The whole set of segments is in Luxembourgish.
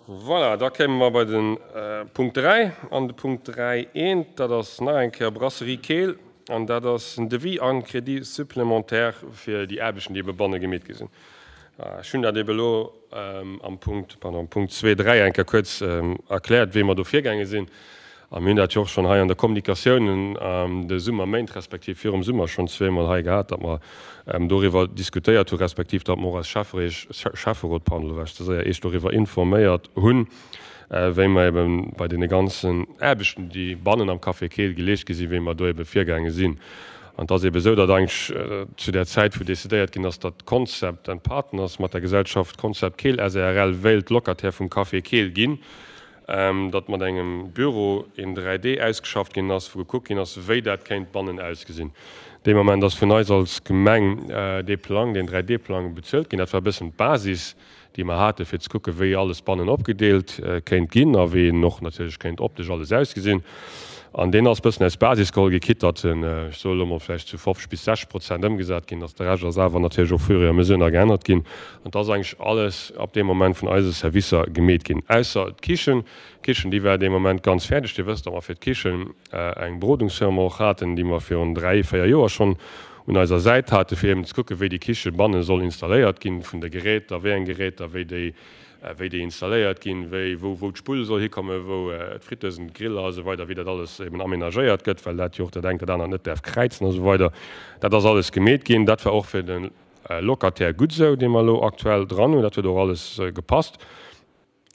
Voilà, da kéime mer bei de Punkt 3. An de Punkt 3 eent, dat ass nach eng Kéier Brasserie Keel. An dat ass en Devis an Crédit supplémentaire fir déi Aarbechten, déi ebe banne gemeet gi sinn. Ech hunn dat ebe elo am Punkt, pardon, am Punkt zwee, dräi eng Kéier kuerz erkläert, wéi mer do virgaange sinn. A mir hunn dat jo och schonn hei an der Kommunikatioun an de Summerméint respektiv virum Summer schonn zweemol hei gehat, datt mer doriwwer diskutéiert hu respektiv datt mer och als Schäfferot, pardon, elo war ech ze séier, Iech doriwwer informéiert hunn, wéi mer ebe bei deene ganzen Aarbechten, déi bannen am Café Keel geleescht gi sinn, wéi mer do ebe virgaange sinn. An et ass ebe esou, datt eigentlech zu där Zäit, wou decidéiert ginn ass, datt Concept and Partners mat der Gesellschaft Concept Keel SARL wéilt Locataire vum Café Keel ginn, datt mat engem Büro een 3D ausgeschafft ginn ass, wou gekuckt ginn ass, wéi dat kéint bannen ausgesinn. Dee Moment ass vun eis als Gemeng dee Plang, deen 3D-Plang bezuelt ginn. Dat war e bëssen d'Basis, déi mer haten, fir ze kucken, wéi alles bannen opgedeelt kéint ginn a wéi en och natierlech kéint optesch alles ausgesinn. An deen ass e bëssen als Basis geholl gi, quitte datt en, ech soe lo mol, vläicht zu 50 bis 60 Prozent ëmgesat ginn ass. De Rescht ass awer natierlech au fur et à mesure nach geännert ginn. An et ass eigentlech alles ab deem Moment vun eise Servicer gemeet ginn, ausser d'Kichen. D'Kichen, déi war dee Moment ganz fäerdeg. Dir wësst, datt mer fir d'Kichen eng Berodungsfirma och haten, déi mer virun dräi, véier Joer schonn un eiser Säit haten, fir eben ze kucken, wéi déi Kiche banne soll installéiert ginn, vun de Geräter, wéi eng Geräter, wéi déi wéi déi installéiert ginn, wéi, wou, wou d'Spull soll hikommen, wou d'Fritteusen, d'Griller a sou weider, wéi dat alles eben aménagéiert gëtt, well dat jo och dat engt dat anert net däerf kräizen a sou weider. Dat ass alles gemeet ginn. Dat war och fir de Locataire gutt esou, dee mer elo aktuell dran hunn. Dat huet och alles gepasst.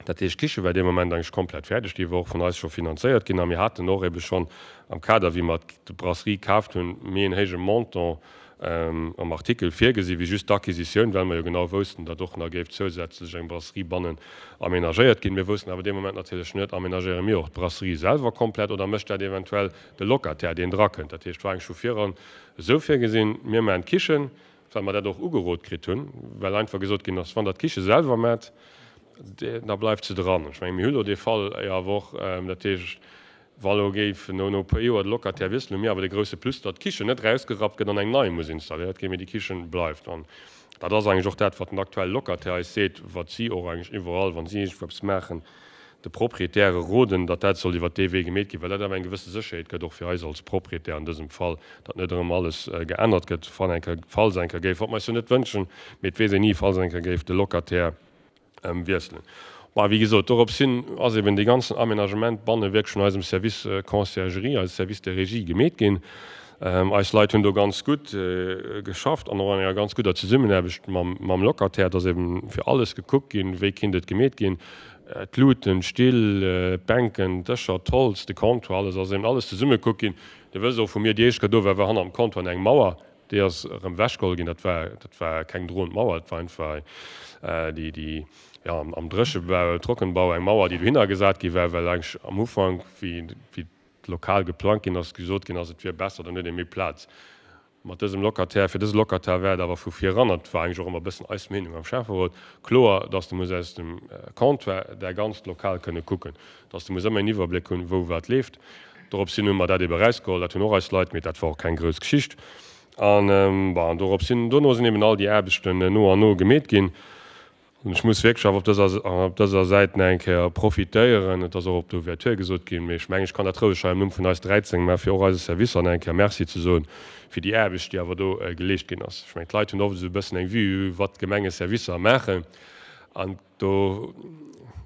Dat heescht, d'Kiche war dee Moment eigentlech komplett fäerdeg. Déi war och vun eis scho finanzéiert ginn a mir haten och ebe schonn am Kader, wéi mer d'Brasserie kaaft hunn, méi en héije Montant am Artikel virgesi wéi just d'Acquisitioun, well mer jo genau woussten, datt och nach géif zousätzlech eng Brasserie bannen aménagéiert ginn. Mir woussten awer dee Moment natierlech net, aménagéiere mir och d'Brasserie selwer komplett oder mécht dat eventuell de Locataire, deen drakënnt. Dat heescht, et war eigentlech vu viran esou virgesinn, mir maachen d'Kichen, well mer dat och ugerot kritt hunn, well einfach gesot ginn ass, wann Der d'Kiche selwer maacht, da bleift se dran. Ech menge mir hu lo dee Fall jo awer och, dat heescht, Wa lo géif no no e puer Joer de Locataire wiesselen, hu mir awer de grousse Plus, datt d'Kichen net erausgerappt gëtt an eng nei muss installéiert ginn, mee déi Kichen bleift. An dat ass eigentlech och dat, wat den aktuelle Locataire eis seet, wat si och eigentlech iwwerall, wa si iergendwou eppes maachen, de Proprietäre roden, datt dat soll iwwert dee Wee gemeet ginn, well dat awer eng gewësse Sécherheet gëtt, och fir eis als Proprietär an dësem Fall, datt net erëm alles geännert gëtt, wann eng Kéier, falls eng Kéier géif, wat mer eis jo net wënschen, mee et weess een ni, falls eng Kéier géif de Locataire Wiesselen. Bon, wéi gesot, dorops hin ass eben dee ganzen Aménagement banne wierklech vun eisem Service Conciergerie, eise Service de régie gemeet ginn. Eis Leit hunn do ganz gutt geschafft an och an enger ganz gudder Zesummenaarbecht mam Locataire. Et ass eben fir alles gekuckt ginn, wéi kinnt et gemeet ginn, d'Luuten, d'Still, d'Bänken, d'Dëscher, d'Holz, de Comptoir, alles ass eben alles zesumme gekuckt ginn. Dir wësst och, wou mir déi éischt Kéier do waren, war hannert dem Comptoir eng Mauer. Déi ass erëm ewechgeholl ginn. Dat war, dat war keng droend Mauer, dat war einfach déi, déi, jo, am Dréchebau, Trockenbau eng Mauer, déi dohinner gesat gi war, well eigentlech am Ufank, wéi, wéi d'Lokal geplangt ginn ass, gesot ginn ass, et wier besser, dann huet ee méi Plaz. Mat dësem Locataire, fir dëse Locataire war et awer vu viran, an dat war eigentlech och ëmmer e bëssen eis Meenung am Schäfferot, kloer, dass de muss aus dem Comptoir däi ganzt Lokal kënne kucken, dass de muss ëmmer een Iwwerbléck hunn, wou wat leeft. Dorops hin hu mer dat ebe erausgeholl, dat hunn och eis Leit, mee dat war och keng grouss Geschicht. An, bon, dorops hin, dono sinn eben all déi Aarbechten no an no gemeet ginn. An ech muss wierklech awer op dëser, op dëser Säit nach eng Kéier profitéieren, et ass och op der Ouverture gesot ginn, mee ech mengen, ech kann dat roueg hei am Numm vun eis 13 maachen, fir och eise Servicer nach eng Kéier Merci ze soen fir déi Aarbecht, déi awer do geleescht ginn ass. Ech mengen, d'Leit hunn oft esou e bëssen eng Vue, wat d'Gemengeservicer maachen. An Do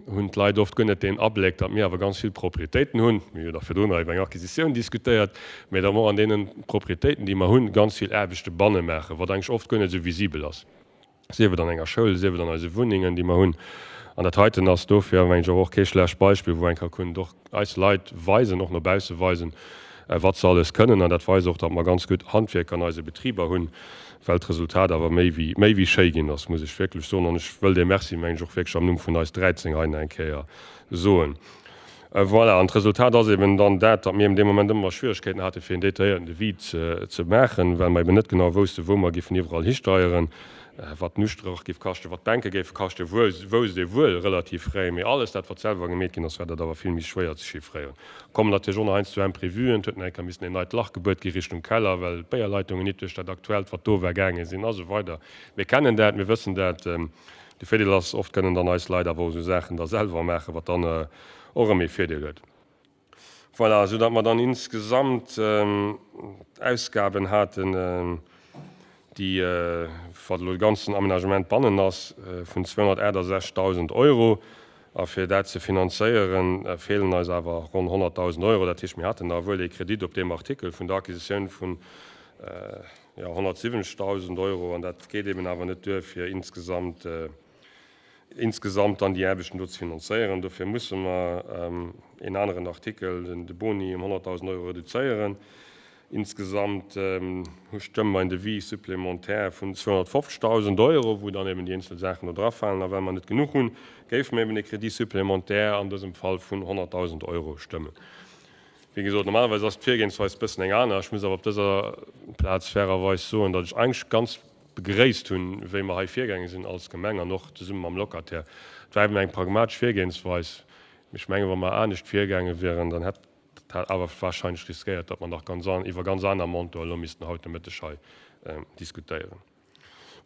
hunn d'Leit oft guer net deen Abléck, datt mir awer ganz vill Proprietéiten hunn. Mir hu jo nach virdrun nach iwwer eng Acquisitioun diskutéiert, mä datt mer och an deene Proprietéiten, déi mer hunn, ganz vill Aarbechte banne maachen, wat eigentlech oft guer net esou visibel ass, sief et an enger Schoul, sief et an eise Wunnengen, déi mer hunn. An dat heiten ass dofir, mengen ech, och kee schlecht Beispill, wou eng ka kënnen och eis Leit weisen, och no bausse weisen, wat se alles kënnen. An dat weist och, datt mer ganz gutt Handwierker an eise Betriber hunn, well d'Resultat awer méi wéi, méi wéi schéi ginn ass, muss ech wierklech soen. An ech wëll dee Merci, mengen ech, och wierklech am Numm vun eis 13 hei nach eng Kéier soen. Voilà, an d'Resultat ass eben dann dat, datt mir eben dee Moment ëmmer Schwierigkeiten hate fir en detailléierten Devis ze maachen, well mer eben net genau woussten, wou mer giffen iwwerall histeieren, wat den Ustrach giff kaschten, wat d'Bänke géife kaschten, wousst ee wuel relativ fréi, mee alles dat, wat selwer gemeet ginn ass, war dat awer vill méi schwéier ze chiffréieren. Kommen natierlech och nach heiansdo Imprévuen, et huet nach eng Kéier missen een neit Lach gebuert gi Richtung Keller, well d'Béierleitungen nit duerch dat aktuellt, wat do war, gaange sinn a sou weider. Mir kennen dat, mir wëssen dat. De Virdeel ass, oft kënnen dann eis Leit awer och esou Saachen da selwer maachen, wat dann och erëm ee Virdeel huet. Voilà, esou datt mer dann insgesamt Ausgaben haten, déi, wat elo de ganzen Aménagement bannen ass, vun 268.000 Euro. A fir dat ze finanzéieren, feelen eis awer ronn 100.000 Euro. Dat heescht, mir haten da wuel ee Kredit op deem Artikel vun der Acquisitioun vun, jo, 170.000 Euro. An dat geet eben awer net duer, fir insgesamt, insgesamt dann déi Aarbechten do ze finanzéieren. Dofir musse mer een aneren Artikel, de Boni, ëm 100.000 Euro reduzéieren. Insgesamt stëmme mer en Devis supplémentaire vun 250.000 Euro, wou dann eben déi eenzel Saachen do drafalen. A well mer net genuch hunn, géife mer eben e Crédit supplémentaire an dësem Fall vun 100.000 Euro stëmmen. Wéi gesot, normalerweis ass d'Virgehensweis e bëssen eng aner. Ech muss awer op dëser Plaz fairerweis soen, datt ech eigentlech ganz begréisst hunn, wéi mer hei virgaange sinn als Gemeng an och zesumme mam Locataire. Et war eben eng pragmatesch Virgehensweis. Ech mengen, wa mer anescht virgaange wieren, dann hätt dat awer wahrscheinlech riskéiert, datt mer nach ganz iwwer ganz aner Montanten elo missten haut de Mëtteg hei diskutéieren.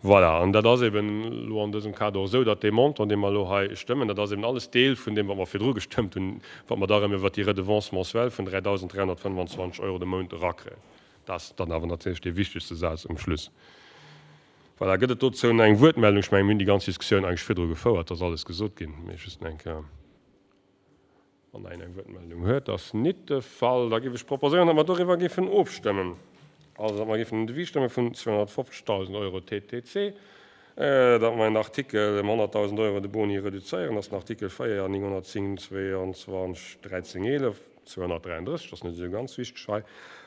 Voilà, an dat ass eben elo an dësem Kader och esou, datt dee Montant, dee mer elo hei stëmmen, dat ass eben alles Deel vun deem, wat mer virdru gestëmmt hunn, wat mer da erëm iwwert déi Redevance mensuelle vun 3.325 Euro de Mount erakréien. Dat ass dann awer natierlech dee wichtegste Saz um Schluss. Voilà, gëtt et dozou nach eng Wuertmeldung? Ech mengen, mir hunn déi ganz Diskussioun eigentlech virdru gefouert, et ass alles gesot ginn, mee just nach eng Kéier, wann nach een eng Wuertmeldung huet. Ass nit de Fall. Da géif ech proposéieren, datt mer doriwwer géifen ofstëmmen. Also, datt mer géifen en Devis stëmme vun 250.000 Euro TTC, datt mer en Artikel ëm 100.000 Euro de Boni reduzéieren, dat ass den Artikel 4 910 22 13 11. 233, dat ass net esou ganz wichteg hei.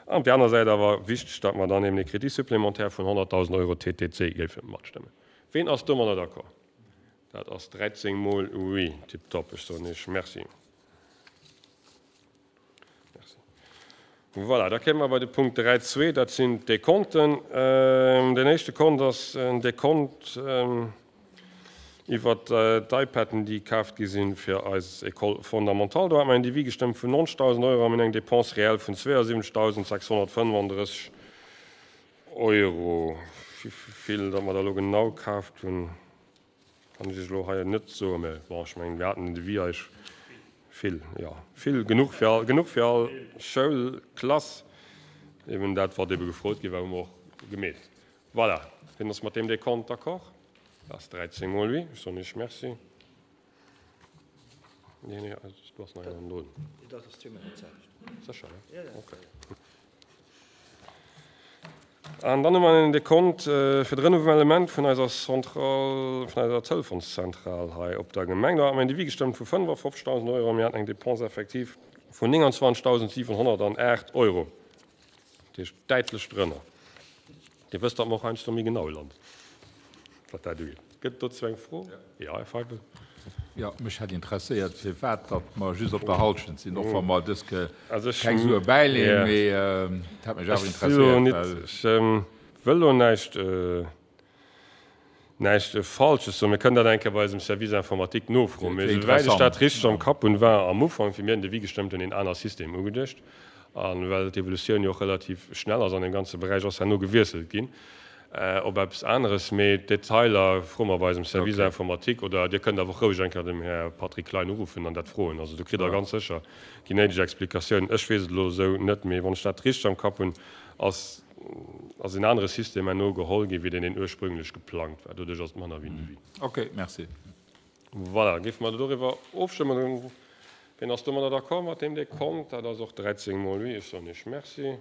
An op där aner Säit awer wichteg, datt mer dann eben e Crédit supplémentaire vun 100.000 Euro TTC géife matstëmmen. Ween ass domadder d'accord? Dat ass 13 mol oui. Tiptop. Ech soen Iech Merci. Merci. Voilà, da kéime mer bei de Punkt 3.2, dat sinn d'Dekonten. Deen éischte Kont ass en Dekont iwwert d'iPaden, déi kaaft gi sinn fir eis École fondamentale. Do hate mer en Devis gestëmmt vun 90.000 Euro a mir hunn eng Dépense réelle vun 72.635 Euro. Wéi vill datt mer der elo genau kaaft hunn, Kann ech Iech elo hei net soen, mä bon, ech mengen, mir haten den Devis eich vill, jo, vill, genuch fir all, genuch fir all Schoulklass. Eben dat, wat ebe gefrot gi war, hu mer och gemeet. Voilà, wien ass mat deem Dekont d'accord? Dat ass 13 mol oui. Ech soen Iech Merci. Nee, nee, du ass nach een drun. Sécher, ne? Okay. An dann hu mer en Dekont fir de Renouvellement vun eiser Centrale, vun eiser Telefonszentral hei op der Gemeng. Do hate mer en Devis gestëmmt vu 55.000 Euro a mir haten eng Dépense effective vun 29.708 Euro. Dat heescht däitlech drënner. Dir wësst, datt mer och heiansdo méi genau landen, wat dat ugeet. Gëtt et dozou eng Fro? Jo, Här Feibel. Jo, mech hätt interesséiert, firwat datt mer just op der Halschent sinn, och wa mer dës Ke keng Sue bäileeën, mee et hätt mech awer interesséiert, well. Ech wëll elo näischt, näischt Falsches soen. Mir kënnen dat eng Kéier bei eisem Service informatique nofroen. Mee esouwäit ech dat richteg am Kapp hunn, war am Ufank, wéi mir den Devis gestëmmt hunn, een aner System ugeduecht. A well d'Evolutioun jo och relativ schnell ass an deem ganze Beräich, ass herno gewiesselt ginn op eppes aneres. Mee d'Detailer froe mer bei eisem Service informatique. Oder Dir kënnt awer och roueg eng Kéier dem Här Patrick Klein uruffen an dat froen. Also do kritt Der ganz sécher déi néideg Explikatiounen. Ech weess et elo esou net, mee wann ech dat richteg am Kapp hunn, ass ass en anere System herno geholl ginn, wéi deen, deen ursprünglech geplangt war. Doduerch ass et manner wéi en Devis. Okay, merci. Voilà, géife mer doriwwer ofstëmmen. Wien ass domadder d'accord mat deem Dekont? Dat ass och 13 mol oui. Ech soen Iech Merci.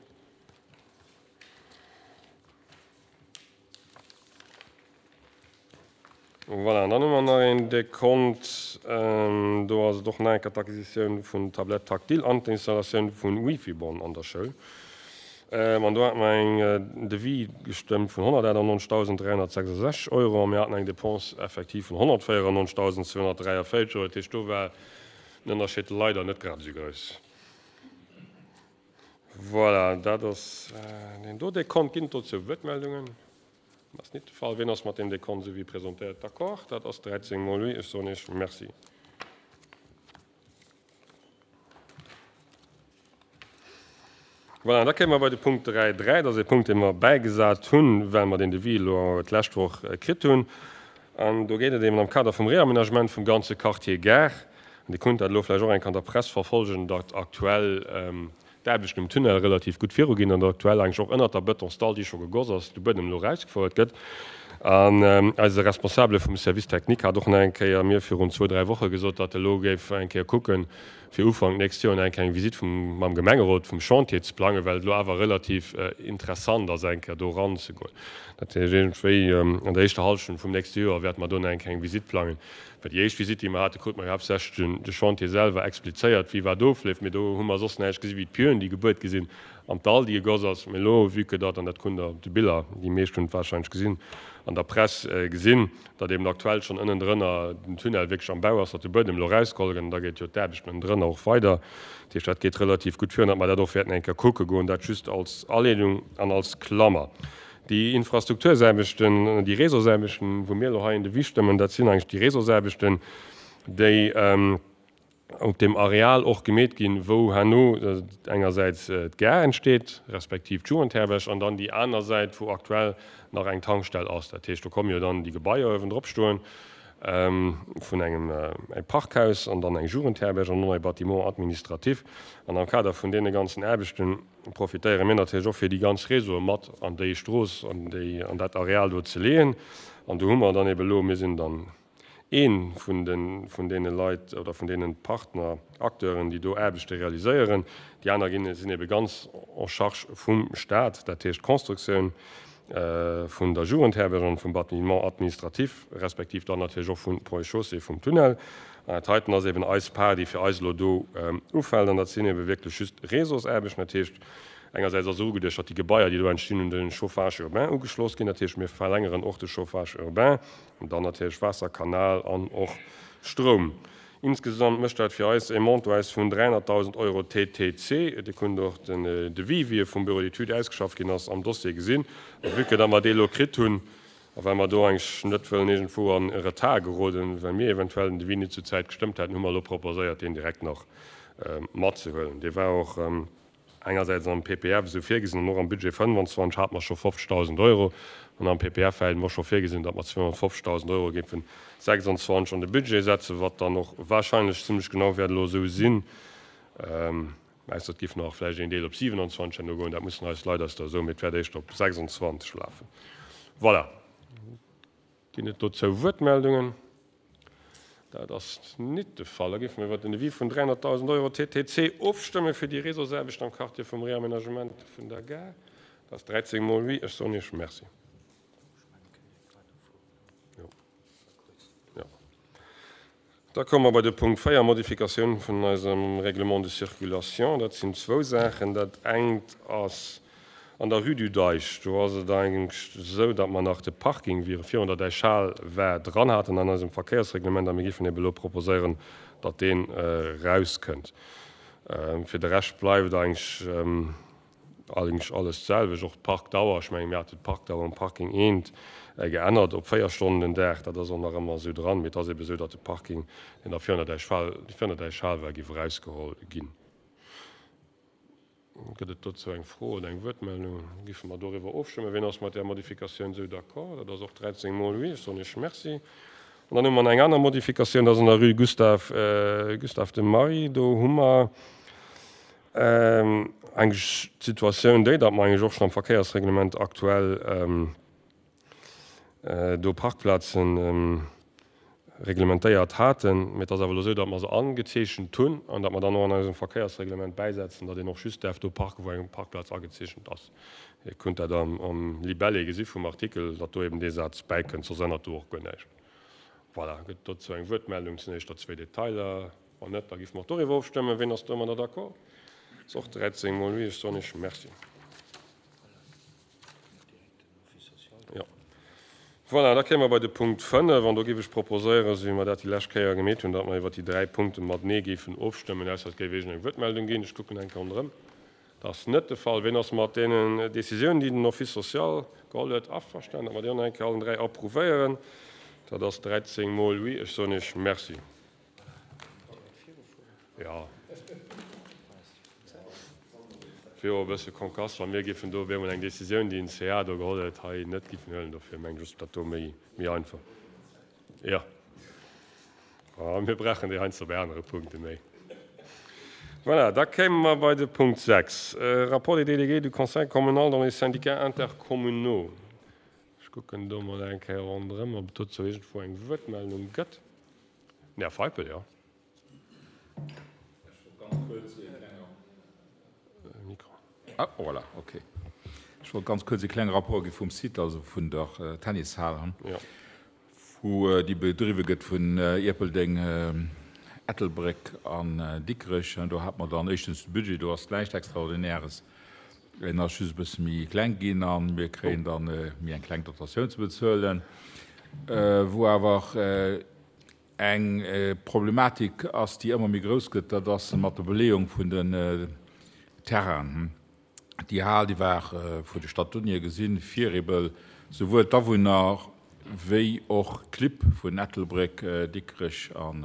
Voilà, an dann hu mer nach een Dekont. Do ass et och nach eng Kéier d'Acquisitioun vun Tablettes tactiles an d'Installatioun vun Wifi-Bornen an der Schoul. An do hate mer eng Devis gestëmmt vun 198.366 Euro a mir haten eng Dépense effective vun 194.243 Euro. Dat heescht, do war den Ënnerscheed leider net grad esou grouss. Voilà, dat ass deen do Dekont. Ginn et dozou Wuertmeldungen? Dat ass nit de Fall. Wien ass mat deem Dekont, esou wéi presentéiert, d'accord? Dat ass 13 mol oui. Ech soen Iech Merci. Voilà, an da kéime mer bei de Punkt 3.3. Dat ass e Punkt, dee mer bäigesat hunn, well mer deen Devis elo d'lescht Woch kritt hunn. An do geet et eben am Kader vum Réaménagement vum ganze Quartier Gare, an Dir kunnt dat elo vläicht och eng Kéier an der Press verfolgen, datt aktuell d'Aarbechten um Tunnel relativ gutt viruginn an datt aktuell eigentlech och ënnert der Betonsdall, déi scho gegoss ass, de Buedem elo erausgefouert gëtt. An eise Responsabele vum Service technique hat och nach eng Kéier mir virun zwou, dräi Woche gesot, datt e lo géif eng Kéier kucken, fir Ufank d'nächst Joer nach eng Kéier eng Visitt vum, mam Gemengerot vum Chantier ze plangen, well et elo awer relativ interessant ass, eng Kéier do eranzegoen. Dat heescht, iergendwéi an der éischter Hallschent vum nächste Joer wäerte mer do nach eng Kéier eng Visitt plangen. Well déi éischt Visitt, déi mer haten, krute mer jo haaptsächlech den, de Chantier selwer explizéiert, wéi wat ofleeft. Mee do hu mer soss näischt gesi wéi d'Pieuxen, déi gebuert gi sinn, an d'Dall, déi gegoss ass. Mee elo, vue que datt, an dat krut Der op de Biller, déi meescht hunn et warscheinlech gesinn, an der Press gesinn, datt eben aktuell schonn ënnendrënner den Tunnel wierklech am Bau ass, datt de Buedem elo erausgeholl gëtt an da geet jo d'Aarbecht ënnendrënner och weider. Dat heescht, dat geet relativ gutt virun, datt mer dat och wäerten eng Kéier kucke goen. Dat just als Aleedung an als Klammer. Déi Infrastruktursaarbechten, déi Réseausaarbechten, wou mir elo hei en Devis stëmmen, dat sinn eigentlech déi Réseausaarbechten, déi op deem Areal och gemeet ginn, wou herno engersäits d'Gare entsteet, respektiv d'Jugendherberg, an dann déi aner Säit, wou aktuell nach eng Tankstell ass. Dat heescht, do komme jo dann déi Gebaier uewendrop stoen vun engem Parkhaus an dann eng Jugendherberg an och nach e Bâtiment administratif. An am Kader vun deene ganzen Aarbechte profitéiere mir natierlech och, fir déi ganz Réseaue mat an déi Strooss, an déi, an dat Areal do ze leeën. An do hu mer dann ebe lo, mir sinn dann ee vun de, vun deene Leit oder vun deene Partner, Acteuren, déi do Aarbechte realiséieren. Déi aner ginn, sinn ebe ganz en charge vum Stat, dat heescht d'Constructioun vun der Jugendherberg an vum Bâtiment administratif, respektiv dann natierlech och vun Ponts et Chaussées, vum Tunnel. An dat heiten ass eben eis Part, déi fir eis elo do ufält, an dat sinn ebe wierklech just Réseausaarbechten. Dat heescht, engersäits ass ugeduecht, datt déi Gebaier, déi do entstinn, un de Chauffage urbain ugeschloss ginn. Dat heescht, mir verlängeren och de Chauffage urbain. An dann natierlech Waasser, Kanal an och Stroum. Insgesamt mécht dat fir eis e Montant aus vun 300.000 Euro TTC. Dir kunnt och den Devis, wéi e vum Bureau d'études ausgeschafft ginn ass, am Dossier gesinn. A vue que datt mer dee elo kritt hunn a well mer do eigentlech net wëllen iergendwou an e Retard geroden, well mir eventuell den Devis net zur Zäit gestëmmt hätten, hu mer elo proposéiert, deen direkt nach matzehuelen. Dee war och Engersäits am PPF esou virgesinn an och am Budget 25 hate mer scho 50.000 Euro an am PPF hate mer scho virgesinn, datt mer 250.000 Euro géifen 26 an de Budget setzen, wat dann och wahrscheinlech zimlech genau wäert elo esou sinn, ausser et géif nach vläicht een Deel op 27 herno goen, dat mussen eis Leit eis da soen, mee et wäert éischter op 26 lafen. Voilà. Ginn et dozou Wuertmeldungen? Dat ass nit de Fall. Da géife mer iwwert den Devis vun 300.000 Euro TTC ofstëmme fir déi Réseausaarbechten am Quartier vum Réaménagement vun der Gare. Dat ass 13 mol oui. Ech soen Iech Merci. Da komme mer bei de Punkt 4, Modifikatioun vun eisem Règlement de circulation. Dat sinn zwou Saachen. Dat engt ass an der Rue du Deich. Do ass et eigentlech esou, datt mer nach de Parking, wéi e virun der Däichhal war, dran haten an eisem Verkéiersreglement a mir géifen ebe elo proposéieren, datt deen erauskënnt. Fir de Rescht bleift eigentlech Eigentlech alles d'selwecht, och d'Parkdauer. Ech mengen, mir haten d'Parkdauer um Parking eent geännert op 4 Stonnen den Dag. Dat ass och nach ëmmer esou dran. Mee et ass ebe esou, datt de Parking, deen da virun der Däichhal, virun der Däichhal war, géif erausgeholl ginn. Gëtt et dozou eng Fro oder eng Wuertmeldung? Géife mer doriwwer ofstëmmen. Wien ass mat där Modifikatioun esou d'accord? Dat ass och 13 mol oui. Ech soen Iech Merci. An dann hu mer nach eng aner Modifikatioun, dat ass an der Rue Gustave, Gustave de Marie. Do hu mer Eigentlech d'Situatioun déi, datt mer eigentlech och schonn am Verkéiersreglement aktuell do Parkplazen reglementéiert haten. Mee et ass awer elo esou, datt mer se angezeechent hunn an datt mer dann och an eisem Verkéiersreglement bäisetzen, datt een och just däerf do parken, wou eng Parkplaz agezeechent ass. Dir kunnt dat am Libellé gesi vum Artikel, datt do eben dee Saz bäikënnt, soss ännert do och guer näischt. Voilà, gëtt dozou eng Wuertmeldung? Et sinn éischter zwéi Detailer. Wann net, da géife mer och doriwwer ofstëmmen. Ween ass domadder d'accord? Ass och 13 mol oui. Ech soen Iech Merci. Jo. Voilà, da kéime mer bei de Punkt 5 an do géif ech proposéieren, esou wéi mer dat déi lescht Kéier gemeet hunn, datt mer iwwer déi dräi Punkte matenee géifen ofstëmmen, ausser et géif iergendeng Wuertmeldung ginn. Ech kucken eng Kéier ronderëm. Dat ass net de Fall. Ween ass mat deenen Décisiounen, déi den Office social geholl huet, averstanen, datt mer déi och nach eng Kéier allen dräi approuvéieren? Dat ass 13 mol oui. Ech soen Iech Merci. Jo. Wier och e bësse konkass, wa mir géifen do op eemol eng Décisioun, déi den CA do geholl huet, hei net géifen huelen. Dofir mengen ech, ass dat do méi, méi einfach. Jo. A mir brauchen déi heiansdo bei anere Punkte méi. Voilà, da kéime mer bei de Punkt 6, Rapport des délégués du Conseil communal dans les syndicats intercommunaux. Ech kucken do mol eng Kéier ronderëm, ob et dozou iergendwou eng Wuertmeldung gëtt. Den Här Feipel, jo. Ah, voilà, okay. Ech wollt ganz kuerz e klenge Rapport gi vum Site, also vun der Tennishal, wou déi bedriwwe gëtt vun Ierpeldeng, Ettelbréck an Dikrech. Do hate mer dann éischtens de Budget, do ass näischt Extraordinäres, en ass just e bësse méi kleng ginn a mir kréien dann méi eng kleng Dotatioun ze bezuelen, wou awer Eng Problematik ass, déi ëmmer méi grouss gëtt, dat ass mat der Beleeung vun den Terrainen. Déi Hal, déi war vun de Statuten hier gesinn fir ebe souwuel d'Awunner wéi och d'Clibb vun Ettelbréck, Dikrech an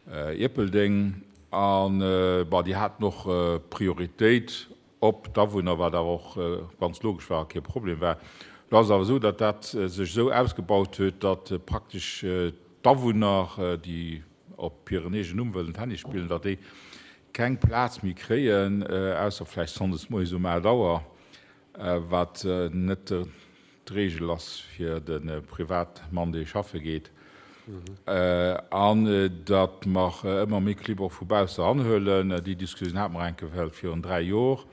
Ierpeldeng. An, bon, déi haten och Prioritéit op d'Awunner, wat awer och ganz logesch war a kee Problem war. Elo ass et awer esou, datt dat sech esou ausgebaut huet, datt praktesch d'Awunner, déi op hiren eegenen Numm wëllen Tennis spillen, datt déi keng Plaz méi kréien, ausser vläicht sonndes moies um 8 Auer, wat net D'Reegel ass fir de Privatmann, dee schaffe geet, an datt mer ëmmer méi Clibb och vu bausse eranhuelen. Déi Diskussioun hate mer eng Kéier virun 3 Jor.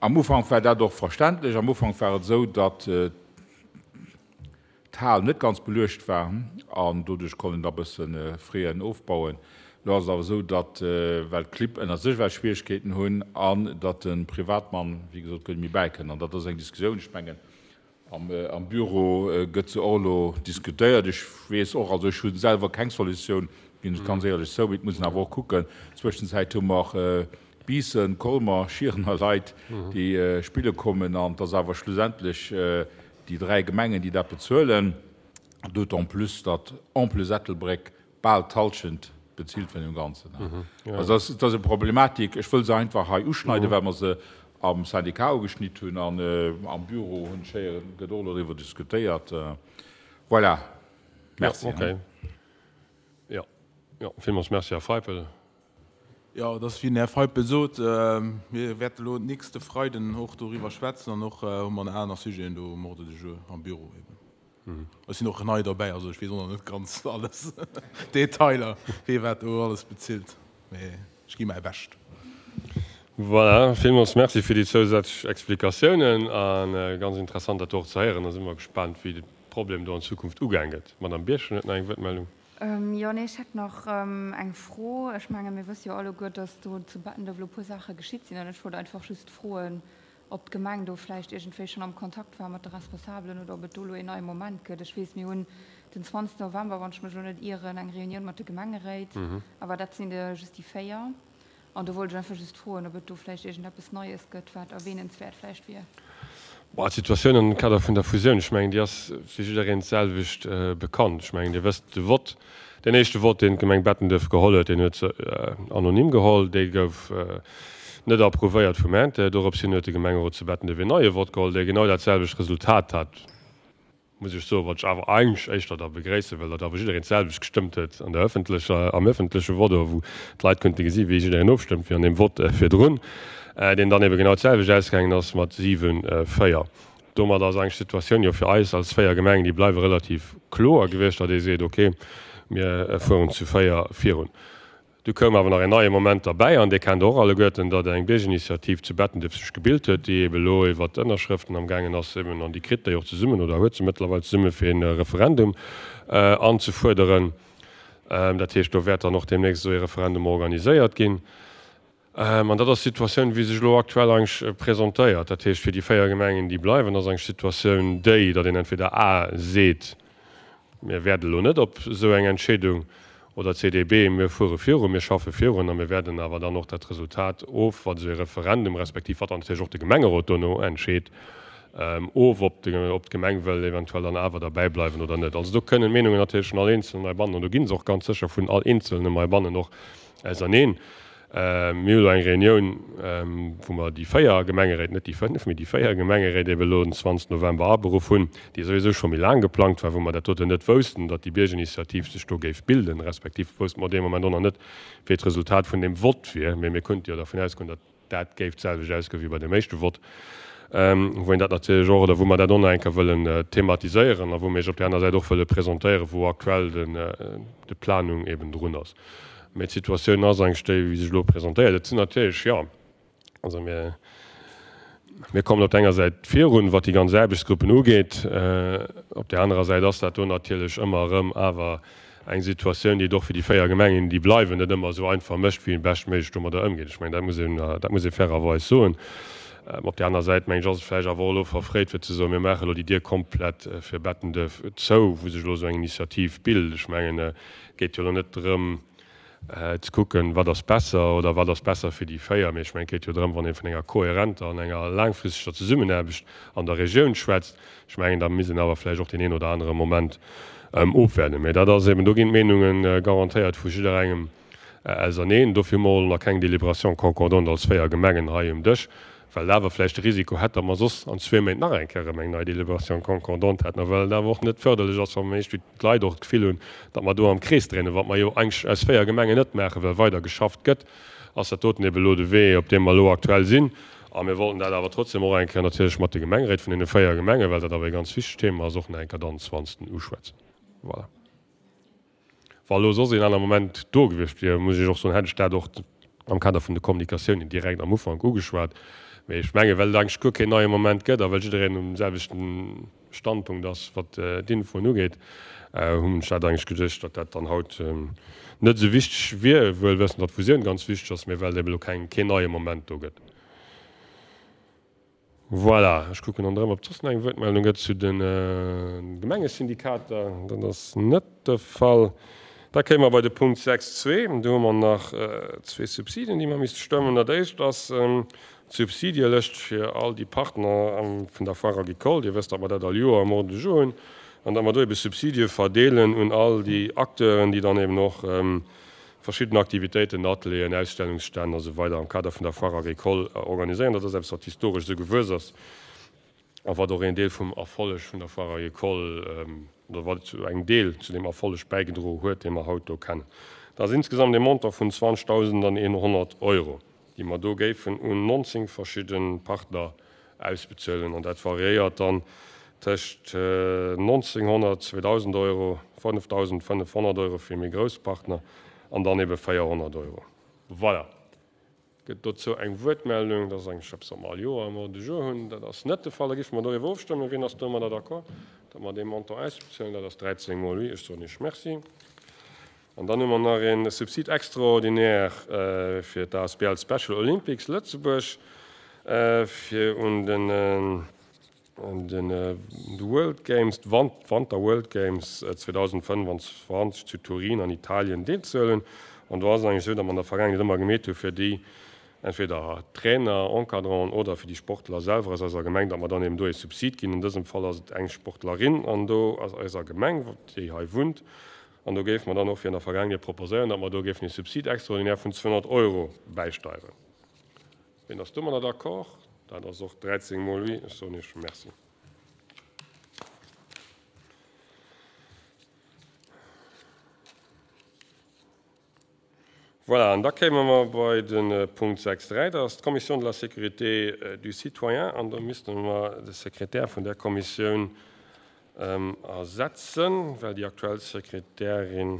Am Ufank war dat och verständlech. Am Ufank war et esou, datt d'Hal net ganz beluecht war an doduerch konnt een da bësse Frais ofbauen. Elo ass et awer esou, datt, well d'Clibb ënner sech well Schwierigkeeten hunn an datt de Privatmann, wéi gesot, guer net méi bäikënnt. An dat ass eng Diskussioun, ech mengen, am Büro gëtt se och elo diskutéiert. Ech weess och, also ech hu selwer keng Solutioun, ginn ech ganz éierlech zou, mee et muss een awer och kucken. Zwëschenzäit hu mer Biissen, Colmer, Schierener Leit, déi spille kommen an et ass awer schlussendlech déi 3 Gemengen, déi dat bezuelen, d'autant plus, datt en plus Ettelbréck bal d'Halschent bezilt vun deem Ganzen. Also dat ass eng Problematik. Ech wëll se einfach hei uschneiden, well mer se am Syndicat ugeschnitt hunn an am Büro hunn ech héieren, gëtt och elo driwwer diskutéiert. Voilà. Merci. Jo, jo, villmools Merci, Här Feipel. Jo, et ass wéi den Här Feipel sot, mir wäerte elo nächste Freiden och doriwwer schwätzen an och hu mer nach aner Sujeten do um Ordre du jour am Büro eben. Ech sinn och nei derbäi, also ech weess och nach net ganz alles Detailer, wee wat do alles bezilt, mee ech gi mäi Bescht. Voilà, villmools Merci fir déi zousätzlech Explikatiounen a ganz interessant dat do och ze héieren. Da si mer gespaant, wéi de Problem do an Zukunft ugaang gëtt. D'Madame Birchen huet nach eng Wuertmeldung. Jo, nee, ech hätt nach eng Fro. Ech menge mir wësse jo alleguer, datt do zu Bettenduerf elo e puer Saache geschitt sinn. An ech wollt einfach just froen, ob d'Gemeng do vläicht iergendwéi schonn am Kontakt war mat de Responsabelen oder ob et do elo een neie Moment gëtt. Ech weess, mir hunn den 20 November, wann ech mech elo net ieren, eng Reunioun mat de Gemengeréit. Awer dat sinn der just déi 4. An do wollt ech einfach just froen, ob et do vläicht iergendeppes Neies gëtt, wat erwähnenswäert vläicht wier. Bon, d'Situatioun am Kader vun der Fusioun, ech mengen, déi ass fir jiddereen d'selwecht bekannt. Ech mengen, Dir wësst, de Vott, deen éischte Vott, deen d'Gemeng Bettenduerf geholl huet, deen huet se anonym geholl, dee gouf net approuvéiert vum Inter. Dorops hin huet de Gemengerot zu Bettenduerf een neie Vott geholl, dee genau dat selwecht Resultat hat. muss ech soen, wat ech awer eigentlech éischter da begréissen, well datt awer jiddereen d'selwecht gestëmmt huet an der öffentlecher, am öffentleche Vott, oder wou d'Leit konnte gesi wéi jiddereen ofstëmmt, wéi an deem Vott virdrun, deen dann ebe genau d'selwecht ausgaangen ass mat 7, 4. Domat ass eigentlech d'Situatioun jo fir eis als 4 Gemengen, déi bleiwe relativ kloer gewiescht, datt ee seet, okay, mir fueren zu 4 virun. Du koum awer nach een neie Moment derbäi, an dee kennt Der och alleguerten, datt eng Biergerinitiativ zu Bettenduerf sech gebilt huet, déi ebe elo iwwert d'Ënnerschrëften amgaangen ass, eben, an déi kritt déi och zesummen oder huet se mëttlerweil zesumme fir ee Referendum anzefuerderen. Dat heescht, do wäert dann och deemnächst esou ee Referendum organiséiert ginn. An dat ass d'Situatioun, wéi sech elo aktuell eigentlech presentéiert. Dat heescht, fir déi 4 Gemengen, déi bleiwen, ass eigentlech d'Situatioun déi, datt een entweder a seet, Mir wäerten elo net op esou eng Entscheedung, oder CDB, Mir fuere virun, mir schaffe virun a mir wäerten awer dann och dat Resultat of, wat esou ee Referendum, respektiv wat dann natierlech och de Gemengerot dono entscheet, of, ob d'Gemeng wëll eventuell dann awer derbäi bleiwen oder net. Also do kënnen d'Meenungen natierlech vun all Eenzelnen heibannen, an do gi se och ganz sécher vun all Eenzelnem heibannen och auserneen. Mir hu elo eng Reunioun, wou mer déi 4 Gemengeréit, net déi 5, mee déi 4 Gemengeréit ebe elo den 20 November aberuff hunn, déi souwisou scho méi laang geplangt war, wou mer dat doten net woussten, datt déi Biergerinitiativ sech do géif bilden, respektiv wousste mer dee Moment och nach net, wéi d'Resultat vun deem Vott wier. Mee mir konnte jo dervun ausgoen, datt dat géif d'selwecht ausgoen wéi bei deem éischte Vott, wou een dat natierlech och, oder wou mer dat och nach eng Kéier wëllen thematiséieren a wou mir Iech op där aner Säit och wëlle presentéieren, wou aktuell de Planung eben drun ass. Mee d'Situatioun ass eigentlech déi, wéi sech elo presentéiert. Et sinn natierlech, jo, also mir, mir kommen op der enger Säit virun, wat déi ganz Aarbechtsgruppen ugeet. Op där anerer Säit ass dat do natierlech ëmmer erëm awer eng Situatioun, déi et och fir déi 4 Gemengen, déi bleiwen, net ëmmer esou einfach mécht, wéi een beschtméiglech domadder ëmgeet. Ech mengen, dat muss een, dat muss ee fairerweis soen. Op där aner Säit, mengen ech, ass et vläicht awer och elo verfréit, fir ze soen, mir maache elo déi Dier komplett fir Bettenduerf zou, wou sech elo esou eng Initiativ bilt. Ech mengen, Et geet jo elo net drëm ze kucken, wat ass besser oder wat ass besser fir déi 4, mee ech mengen, et geet jo drëm, wann ee vun enger kohärenter an enger laangfristeger Zesummenaarbecht an der Regioun schwätzt, ech mengen, da misst een awer vläicht och deen een oder anere Moment ofwäerden. Mee dat ass eben, do ginn d'Meenunge garantéiert vu jidderengem auserneen. Dofir hu mer och nach keng Délibération concordante als 4 Gemengen hei um Dësch, well et awer vläicht de Risiko hätt, datt mer soss an zwee Méint nach eng Kéier erëm eng nei Délibération concordante hätten a well et awer och net förderlech ass, wa mer iergendwéi d'Leit och d'Gefill hunn, datt mer do am Krees dréinen, wat mer jo eigentlech aus 4 Gemengen net maachen, well weider geschafft gëtt, ass dat doten ebe elo de Wee, op deem mer elo aktuell sinn. A mir wollten dat awer trotzdem och eng Kéier natierlech mat de Gemengeréit vun deene 4 Gemengen, well dat awer e ganz wichtegt Thema ass, och nach eng Kéier dann 20. Uschwätzen. Voilà. Wa elo soss een aner Moment do gewiescht wier, muss ech och soen, hätt ech dat och am Kader vun de Kommunikatiounen direkt am Ufank ugeschwat. Mee ech mengen, well et eigentlech guer keen neie Moment gëtt a well jiddereen um selwechten Standpunkt ass, wat d'Infoen ugeet, hunn ech dat eigentlech geduecht, datt dat dann haut net esou wichteg wier, wuel wëssend, datt d'Fusioun ganz wichteg ass, mee well et eben elo keng, keen neie Moment do gëtt. Voilà, ech kucken ronderëm, ob et soss nach eng Wuertmeldung gëtt zu de Gemengesyndikater. Dat ass net de Fall. Da kéime mer bei de Punkt 6.2. Do hu mer nach zwee Subsiden, déi mer misste stëmmen. Dat éischt ass d'Subsidielëscht fir all déi Partner vun der Foire agricole. Dir wësst, datt mer dat all Joer am Ordre du jour hunn an datt mer do ebe Subsidie verdeelen un all déi Acteuren, déi dann eben och verschidden Aktivitéiten, Atelieren, Ausstellungsstänn a sou weider am Kader vun der Foire agricole organiséieren. Dat ass eppes, wat historesch esou gewuess ass a wat och een Deel vum Erfolleg vun der Foire agricole, oder wat zu engem Deel zu deem Erfolleg bäigedroe huet, dee mer haut do kennen. Dat ass insgesamt ee Montant vun 20.100 Euro, déi mer do géifen un 19 verschidde Partner ausbezuelen an dat variéiert dann tëscht 1.900, 2.000 Euro, 5.500 Euro fir méi grouss Partner an dann ebe 400 Euro. Voilà. Gëtt dozou eng Wuertmeldung? Dat ass eigentlech eppes, wat mer all Joer am Ordre du jour hunn. Dat ass net de Fall. Da géife mer doriwwer ofstëmmen. Wien ass domadder d'accord, datt mer dee Montant ausbezuelen? Dat ass 13 mol oui. Ech soen Iech Merci. An dann hu mer nach ee Subside extraordinaire fir d'ASBL Special Olympics Lëtzebuerg, fir un den World Games, d'Wanter World Games 2025 zu Turin an Italien deelzehuelen. An do ass et eigentlech esou, datt mer an der Vergaangenheet ëmmer gemeet hu fir déi entweder Trainer, Encadranten oder fir déi Sportler selwer aus eiser Gemeng, datt mer dann eben do ee Subsid ginn. An dësem Fall ass et eng Sportlerin an do aus eiser Gemeng, déi hei wunnt. An do géife mer dann och, wéi an der Vergaangenheet, proposéieren, datt mer do géifen ee Subsid extraordinaire vun 200 Euro bäisteieren. Wien ass domadder d'accord? Dat ass och 13 mol oui. Ech soen Iech Merci. Voilà, an da kéime mer bei de Punkt 6.3, dat ass d'Commission de la sécurité du citoyen. An do misste mer de Sekretär vun där Kommissioun ersetzen, well déi aktuell Sekretärin,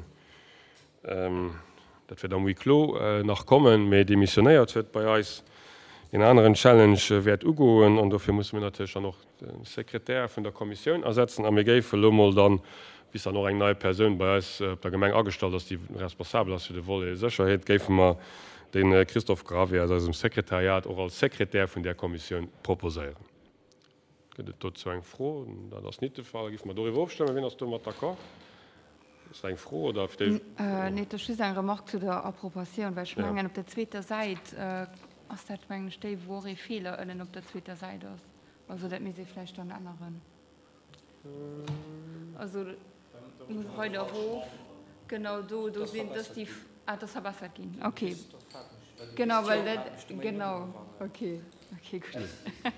dat wäert am Huis clos nach kommen, mee demissionéiert huet bei eis, een aneren Challenge wäert ugoen. An dofir musse mir natierlech dann och de Sekretär vun der Kommissioun ersetzen a mir géife lo mol dann, bis dann och eng nei Persoun bei eis op der Gemeng agestallt ass, déi responsabel ass fir de Volet Sécherheet, géife mer de Christophe Gravé aus eisem Sekretariat och als Sekretär vun där Kommissioun proposéieren. Gëtt et dozou eng Fro? Dat ass nit de Fall. Da géife mer doriwwer ofstëmmen. Wien ass domat d'accord? Ass dat eng Fro oder fir d'éischt? Nee, et ass just eng Remarque zu der Approbatioun, well ech mengen, op der zweeter Säit ass dat, mengen ech, déi, wou och ee Feeler ënnen op der zweeter Säit ass. Also dat misst ee vläicht dann änneren. Also muss weider erof. Genau do, do sinn, dass déi, ah, dat ass verbessert ginn, okay. Genau, well dat, genau, okay, okay, gutt.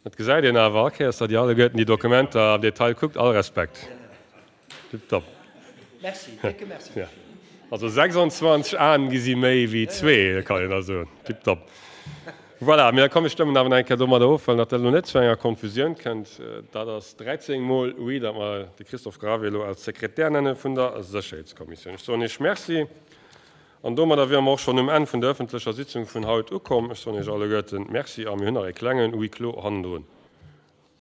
Et gesäit een awer all Kéiers, datt Dir alleguerten déi Dokumenter am Detail kuckt. All Respekt. Tiptop. Merci, décke Merci dofir. Also 26 Aen gi si méi wéi zwee, kann een da soen. Tiptop. Voilà, mee da komm, mir stëmmen awer nach eng Kéier domadder of, well datt dat elo net zu enger Konfusioun kënnt. Dat ass 13 mol oui, datt mer de Christophe Gravé elo als Sekretär nenne vun der Sécherheetskommissioun. Ech soen Iech Merci. An domadder wiere mer och schonn um Enn vun der ëffentlecher Sitzung vun haut ukomm. Ech soen Iech alleguerten Merci a mir hunn nach e klengen Huis clos hannendrun.